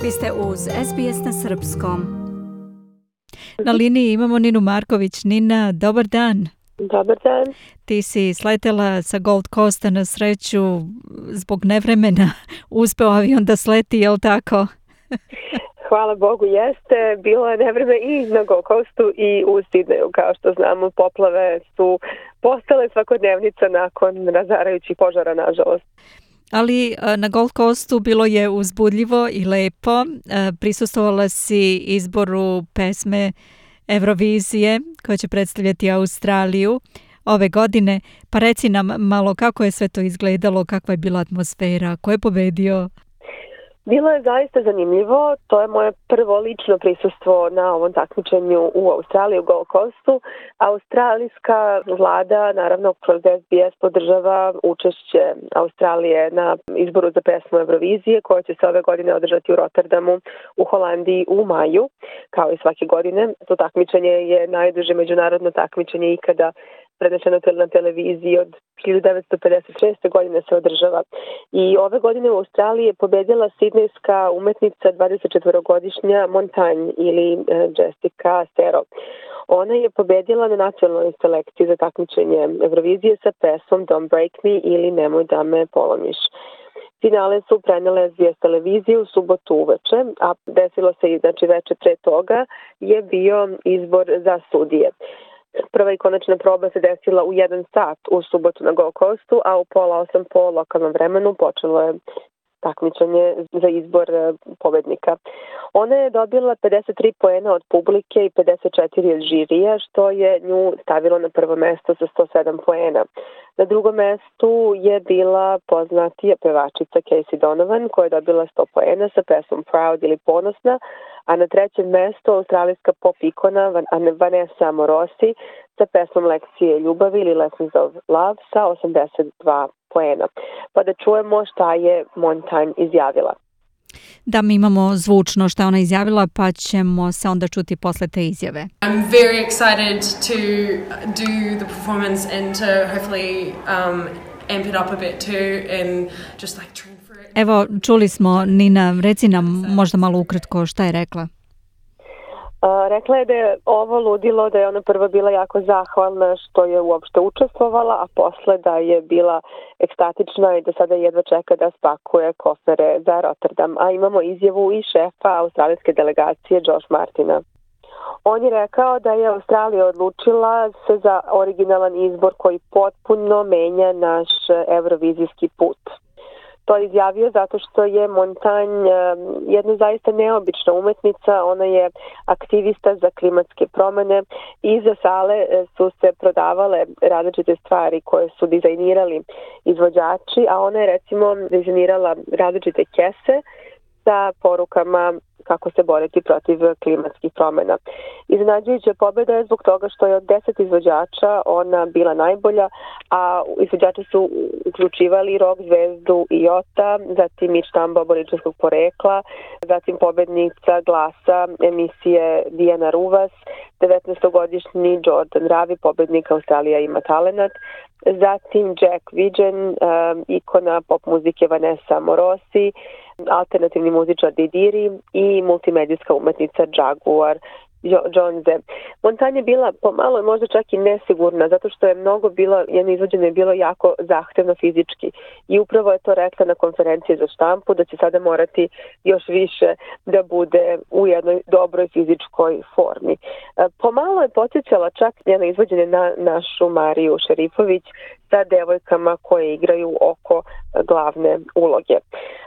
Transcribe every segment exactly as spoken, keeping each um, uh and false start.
Vi ste uz S B S na srpskom. Na liniji imamo Ninu Marković. Nina, dobar dan. Dobar dan. Ti si sletela sa Gold Coasta, na sreću zbog nevremena uspeo avion da sleti, je li tako? Hvala Bogu, jeste. Bilo je nevreme i na Gold Coastu i u Sidneju. Kao što znamo, poplave su postale svakodnevnica nakon razarajućih požara, nažalost. Ali na Gold Coastu bilo je uzbudljivo i lepo. Prisustvovala si izboru pesme Eurovizije koja će predstavljati Australiju ove godine. Pa reci nam malo kako je sve to izgledalo, kakva je bila atmosfera, ko je pobedio? Bilo je zaista zanimljivo. To je moje prvo lično prisustvo na ovom takmičenju u Australiji, u Gold Coastu. Australijska vlada, naravno, kroz S B S podržava učešće Australije na izboru za pesmu Eurovizije, koja će se ove godine održati u Rotterdamu u Holandiji u maju, kao i svake godine. To takmičenje je najduže međunarodno takmičenje ikada prenešeno na televiziji, od hiljadu devetsto pedeset šeste. godine se održava. I ove godine u Australiji je pobedila sidnejska umetnica dvadesetčetvorogodišnja Montagne ili Jessica Stero. Ona je pobedila na nacionalnoj selekciji za takmičenje Eurovizije sa pesmom Don't Break Me ili Nemoj da me polomiš. Finale su prenele S B S televizije u subotu uveče, a desilo se i znači veče pre toga je bio izbor za sudije. Prva i konačna proba se desila u jedan sat u subotu na Gold Coastu, a u pola osam po lokalnom vremenu počelo je takmičenje za izbor pobednika. Ona je dobila pedeset tri poena od publike i pedeset četiri od žirija, što je nju stavilo na prvo mesto sa sto sedam poena. Na drugom mestu je bila poznatija pevačica Casey Donovan, koja je dobila sto poena sa pesmom Proud ili Ponosna, a na trećem mestu australijska pop ikona Vanessa Amorosi sa pesmom Lekcije ljubavi ili Lessons of Love sa osamdeset dva poena. Pa da čujemo šta je Montagne izjavila. Da, mi imamo zvučno šta ona izjavila, pa ćemo se onda čuti posle te izjave. I'm very excited to do the performance and to hopefully um, amp it up a bit too and just like train for it. Evo, čuli smo, Nina, reci nam možda malo ukratko šta je rekla. Uh, rekla je da je ovo ludilo, da je ona prvo bila jako zahvalna što je uopšte učestvovala, a posle da je bila ekstatična i da sada jedva čeka da spakuje kofere za Rotterdam. A imamo izjavu i šefa australijske delegacije Josh Martina. On je rekao da je Australija odlučila se za originalan izbor koji potpuno menja naš evrovizijski put. To je izjavio zato što je Montagne jedna zaista neobična umetnica, ona je aktivista za klimatske promene i iza sale su se prodavale različite stvari koje su dizajnirali izvođači, a ona je recimo dizajnirala različite kese sa porukama kako se boriti protiv klimatskih promjena. Iznenađujuća pobjeda je zbog toga što je od deset izvođača ona bila najbolja, a izvođači su uključivali rock zvezdu Iota, zatim Mitch Tamba aboričanskog porekla, zatim pobednica glasa emisije Diana Ruvas, devetnaestogodišnji Jordan Ravi, pobednik Australija ima talenat, zatim Jack Vigen, um, ikona pop muzike Vanessa Amorosi, alternativni muzičar Didiri i multimedijska umetnica Jaguar Johnze. Montagne je bila pomalo možda čak i nesigurna, zato što je mnogo bilo, jedno izvođenje je bilo jako zahtevno fizički i upravo je to rekla na konferenciji za štampu da će sada morati još više da bude u jednoj dobroj fizičkoj formi. Pomalo je podsjećala čak njeno izvođenje na našu Mariju Šerifović sa devojkama koje igraju oko glavne uloge.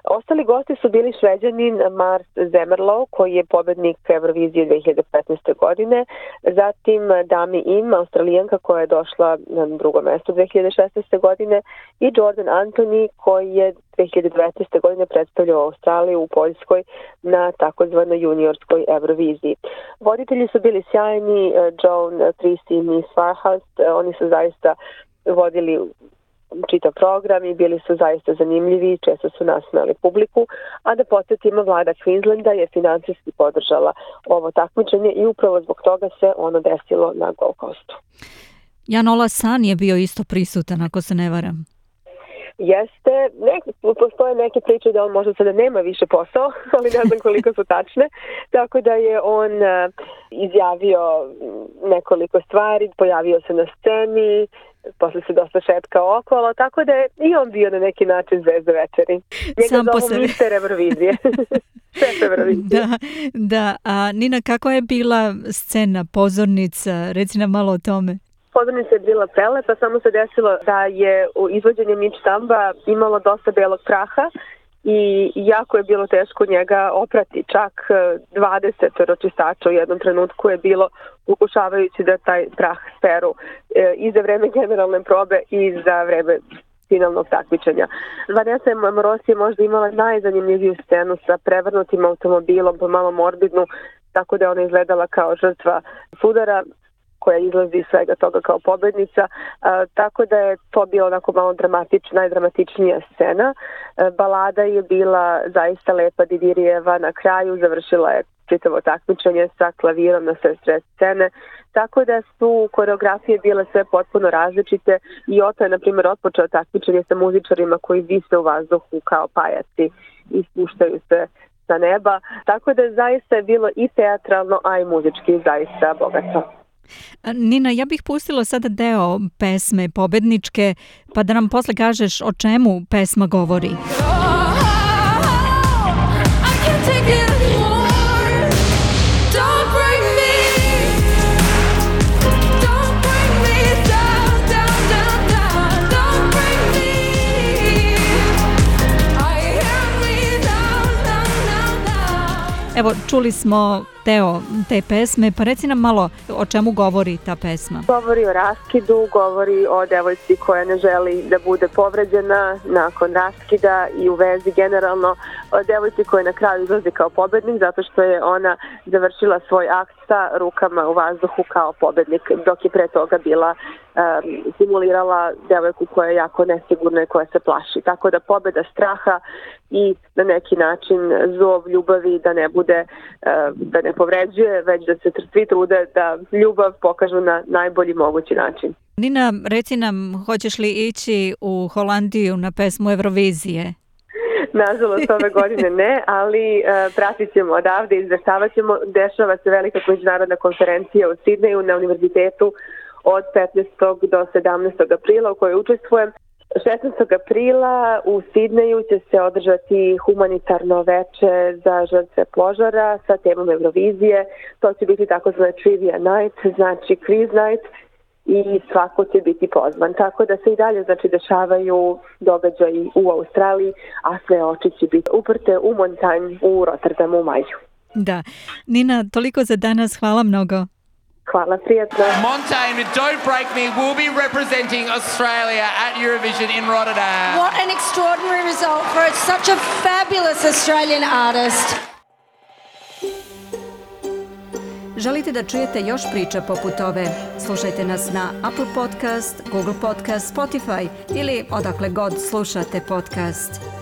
Ostali gosti su bili Šveđanin Mars Zemmerlo, koji je pobednik Eurovizije dve hiljade petnaeste. godine, zatim Dami Im, Australijanka koja je došla na drugo mesto dve hiljade šesnaeste. godine i Jordan Anthony koji je dve hiljade devetnaeste. godine predstavljao Australiju u Poljskoj na takozvanoj juniorskoj Euroviziji. Voditelji su bili sjajni, Joan Trisi i Miss Farhouse, oni su zaista vodili čitav program i bili su zaista zanimljivi, često su nasmejali publiku, a da podsjetimo, vlada Queenslanda je finansijski podržala ovo takmičenje i upravo zbog toga se ono desilo na Gold Coastu. Jan Ola San je bio isto prisutan, ako se ne varam. Jeste, nek, postoje neke priče da on možda sada nema više posao, ali ne znam koliko su tačne, tako da je on uh, izjavio nekoliko stvari, pojavio se na sceni, posle se dosta šetkao okolo, tako da je i on bio na neki način zvezda večeri. Njega Sam po zovu sebi. mister Eurovizije. Šef Eurovizije. Da, da. A Nina, kako je bila scena, pozornica? Reci nam malo o tome. Pozornica je bila prelepa, samo se desilo da je u izvođenju Mitch Samba imalo dosta belog praha i jako je bilo teško njega oprati. Čak dvadeset čistača u jednom trenutku je bilo pokušavajući da taj prah speru e, i za vreme generalne probe i za vreme finalnog takmičenja. Vanessa Amorosi je možda imala najzanimljiviju scenu sa prevrnutim automobilom, pomalo morbidnu, tako da je ona izgledala kao žrtva sudara koja izlazi iz svega toga kao pobednica, a, tako da je to bilo onako malo dramatična, najdramatičnija scena. A, balada je bila zaista lepa, Didirijeva na kraju, završila je čitavo takmičenje sa klavirom na sve sred scene, tako da su koreografije bile sve potpuno različite i Oto je, na primjer, otpočeo takmičenje sa muzičarima koji vise u vazduhu kao pajaci i spuštaju se sa neba, tako da zaista je bilo i teatralno, a i muzički zaista bogato. Nina, ja bih pustila sada deo pesme pobedničke, pa da nam posle kažeš o čemu pesma govori. Evo, čuli smo deo te pesme, pa reci nam malo o čemu govori ta pesma. Govori o raskidu, govori o devojci koja ne želi da bude povređena nakon raskida i u vezi generalno, o devojci koja na kraju izlazi kao pobednik zato što je ona završila svoj akt sa rukama u vazduhu kao pobednik, dok je pre toga bila um, simulirala devojku koja je jako nesigurna i koja se plaši. Tako da pobeda straha i na neki način zov ljubavi da ne bude, uh, da ne povređuje, već da se svi trude da ljubav pokažu na najbolji mogući način. Nina, reci nam, hoćeš li ići u Holandiju na pesmu Eurovizije? Nažalost, ove godine ne, ali uh, pratit ćemo odavde, izveštavat ćemo. Dešava se velika međunarodna konferencija u Sidneju na univerzitetu od petnaestog do sedamnaestog aprila u kojoj učestvujem. šesnaestog aprila u Sidneju će se održati humanitarno veče za žrtve požara sa temom Eurovizije. To će biti takozvana trivia night, znači quiz night, i svako će biti pozvan. Tako da se i dalje znači dešavaju događaji u Australiji, a sve oči će biti uprte u Montagne u Rotterdamu u maju. Da. Nina, toliko za danas, hvala mnogo. Hvala, prijatno. Montaigne with Don't Break Me will be representing Australia at Eurovision in Rotterdam. What an extraordinary result for such a fabulous Australian artist. Želite da čujete još priča poput ove? Slušajte nas na Apple Podcast, Google Podcast, Spotify ili odakle god slušate podcast.